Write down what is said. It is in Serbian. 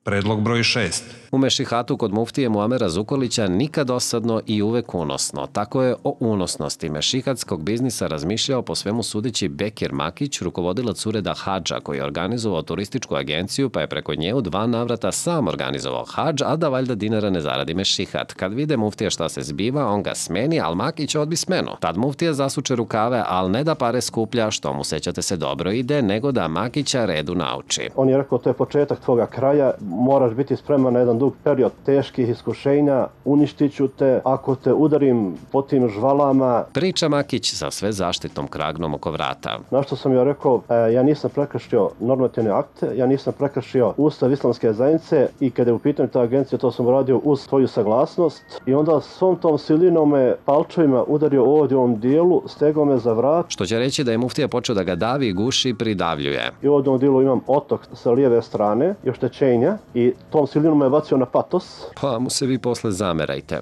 Predlog broj 6. U Mešihatu kod muftije Muamera Zukorlića nikad dosadno i uvek unosno. Tako je o unosnosti mešihatskog biznisa razmišljao po svemu sudeći Bekir Makić, rukovodilac ureda hadža koji je organizovao turističku agenciju pa je preko nje u 2 navrata sam organizovao hadž, a da valjda dinara ne zaradi mešihat. Kad vide muftija šta se zbiva, on ga smeni, al Makić odbi smenu. Tad muftija zasuče rukave, al ne da pare skuplja, što mu, sećate se, dobro ide, nego da Makića redu nauči. On je rekao, to je početak tvoga kraja, moraš biti spreman na jedan dug period teških iskušenja, uništit ću te ako te udarim po tim žvalama. Priča Makić sa sve zaštitnom kragnom oko vrata. Na što sam joj rekao, ja nisam prekršio normativne akte, ja nisam prekršio Ustav islamske zajednice i kada je u pitanju ta agencija, to sam uradio uz svoju saglasnost i onda svom tom silinom me palčevima udario ovdje u ovom dijelu, stegao me za vrat. Što će reći da je muftija počeo da ga davi, guši i pridavljuje. I ovdje u ovom dijelu imam otok sa lijeve strane i oštećenja i tom silinom me bacio na patos. Pa mu se vi posle zamerajte.